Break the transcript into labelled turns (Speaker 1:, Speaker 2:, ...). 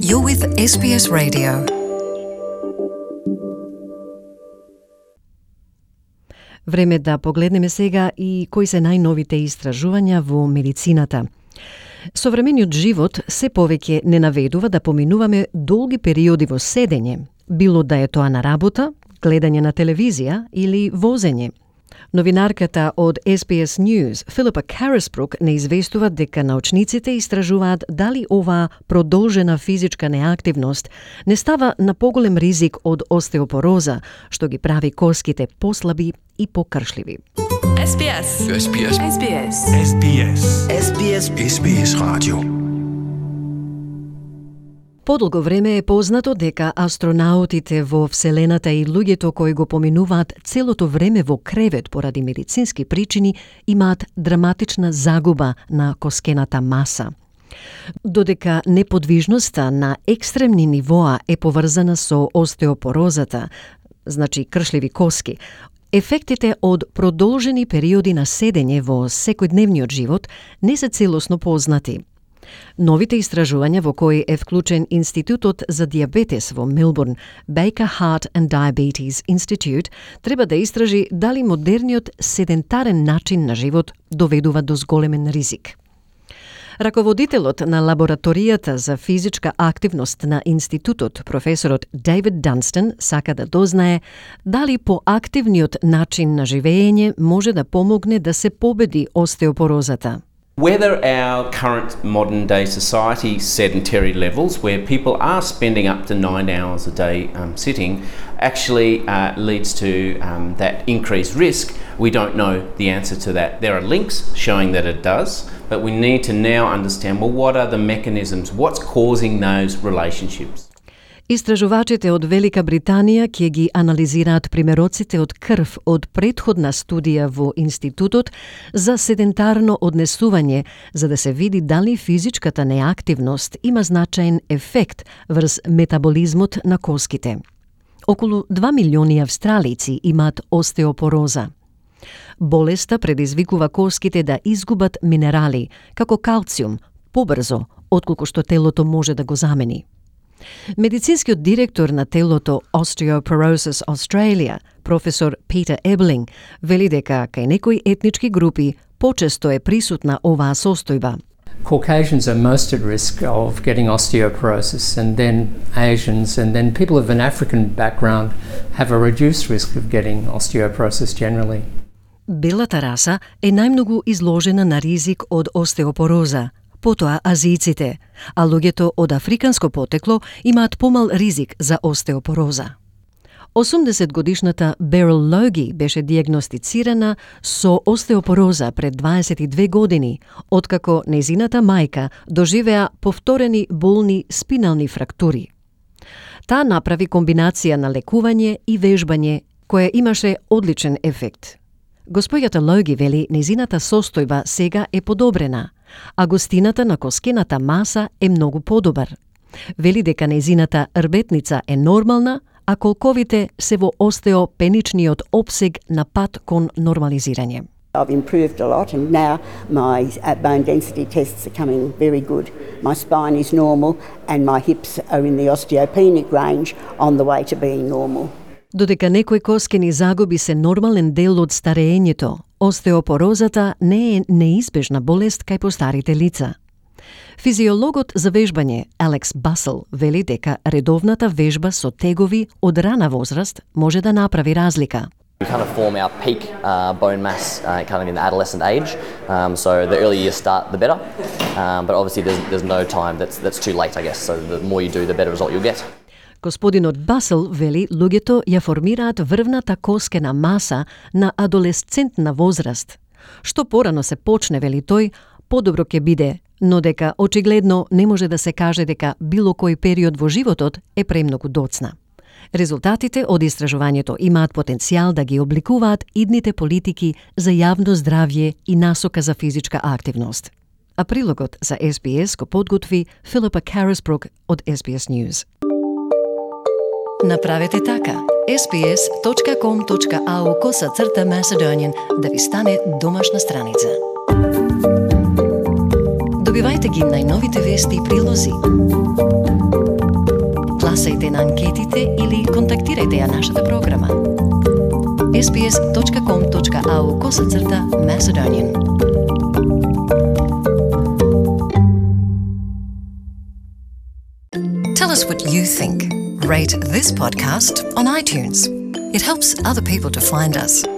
Speaker 1: You're with SBS Radio. Време да погледнеме сега и кои се најновите истражувања во медицината. Современиот живот се повеќе не наведува да поминуваме долги периоди во седење, било да е тоа на работа, гледање на телевизија или возење. Новинарката од SBS News, Филипа Карисбрук, не известува дека научниците истражуваат дали оваа продолжена физичка неактивност не става на поголем ризик од остеопороза, што ги прави коските послаби и покршливи.
Speaker 2: SBS.
Speaker 3: SBS.
Speaker 2: SBS.
Speaker 3: SBS.
Speaker 2: SBS.
Speaker 3: SBS Radio.
Speaker 1: Подолго време е познато дека астронаутите во Вселената и луѓето кои го поминуваат целото време во кревет поради медицински причини имаат драматична загуба на коскената маса. Додека неподвижноста на екстремни нивоа е поврзана со остеопорозата, значи кршливи коски, ефектите од продолжени периоди на седење во секојдневниот живот не се целосно познати. Новите истражувања во кои е вклучен Институтот за дијабетес во Мелбурн, Baker Heart and Diabetes Institute, треба да истражи дали модерниот седентарен начин на живот доведува до зголемен ризик. Раководителот на лабораторијата за физичка активност на институтот, професорот Дейвид Данстон, сака да дознае дали поактивниот начин на живење може да помогне да се победи остеопорозата.
Speaker 4: Whether our current modern day society sedentary levels, where people are spending up to 9 hours a day sitting, actually leads to that increased risk, we don't know the answer to that. There are links showing that it does, but we need to now understand, well, what are the mechanisms, what's causing those relationships?
Speaker 1: Истражувачите од Велика Британија ќе ги анализираат примероците од крв од претходна студија во институтот за седентарно однесување, за да се види дали физичката неактивност има значаен ефект врз метаболизмот на коските. Околу 2 милиони австралици имаат остеопороза. Болеста предизвикува коските да изгубат минерали, како калциум, побрзо, отколку што телото може да го замени. Медицинскиот директор на телото Osteoporosis Australia, професор Питер Еблинг, вели дека кај некои етнички групи почесто е присутна оваа состојба.
Speaker 5: Caucasians are most at risk of getting osteoporosis, and then Asians, and then people of an African background have a reduced risk of getting osteoporosis generally.
Speaker 1: Белата раса е најмногу изложена на ризик од остеопороза, потоа азијците, а луѓето од африканско потекло имаат помал ризик за остеопороза. 80-годишната Берил Логи беше диагностицирана со остеопороза пред 22 години, откако незината мајка доживеа повторени болни спинални фрактури. Таа направи комбинација на лекување и вежбање, која имаше одличен ефект. Господјата Логи вели незината состојба сега е подобрена, а гостината на коскената маса е многу подобар. Вели дека незината рбетница е нормална, а колковите се во остеопеничниот опсег на пат кон нормализирање.
Speaker 6: I've improved a lot and now my bone density tests are coming very good. My spine is normal and my hips are in the osteopenic range on the way to being normal.
Speaker 1: Додека некои коскени загуби се нормален дел од стареењето, остеопорозата не е неизбежна болест кај постарите лица. Физиологот за вежбање Алекс Басел вели дека редовната вежба со тегови од рана возраст може да направи разлика.
Speaker 7: We kind of form our peak bone mass kind of in the adolescent age, so the earlier you start, the better. But obviously there's no time that's too late, I guess. So the more you do, the better result you'll get.
Speaker 1: Господинот Басел вели луѓето ја формираат врвната коскена маса на адолесцентна возраст. Што порано се почне, вели тој, подобро ќе биде, но дека очигледно не може да се каже дека било кој период во животот е премногу доцна. Резултатите од истражувањето имаат потенцијал да ги обликуваат идните политики за јавно здравје и насока за физичка активност. А прилогот за SBS го подготви Филипа Карисбрук од SBS News. Направете така. sbs.com.au/Macedonian да ви стане домашна страница. Добивајте ги најновите вести и прилози. на анкетите или контактирајте ја нашата програма. sbs.com.au/Macedonian. Tell us what you think. Rate this podcast on iTunes. It helps other people to find us.